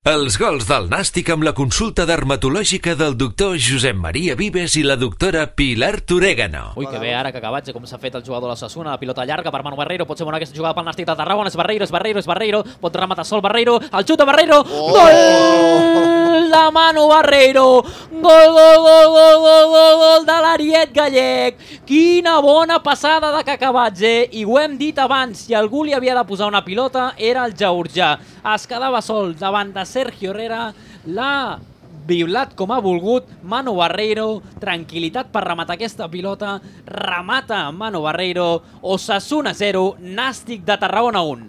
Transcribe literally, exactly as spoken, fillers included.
Els gols del Nàstic amb la consulta dermatològica del doctor Josep Maria Vives i la doctora Pilar Torégano. Ui, que bé ara que acabatge, com s'ha fet el jugador de l'Osasuna, la pilota llarga per Manu Barreiro, pot ser bona aquesta jugada pel Nàstic de Tarragona, és Barreiro, és Barreiro, és Barreiro, pot rematar sol Barreiro, el xut de Barreiro, gol de Manu Barreiro, gol, gol, gol, gol, gol, gol, gol de l'Ariet Gallec, quina bona passada de Cacabatge, i ho hem dit abans, si algú li havia de posar una pilota era el Georgià, es quedava sol davant de Sergio Herrera, l'ha violat com ha volgut Manu Barreiro, tranquil·litat per rematar aquesta pilota, remata Manu Barreiro, Osasuna zero, Nàstic de Tarragona un.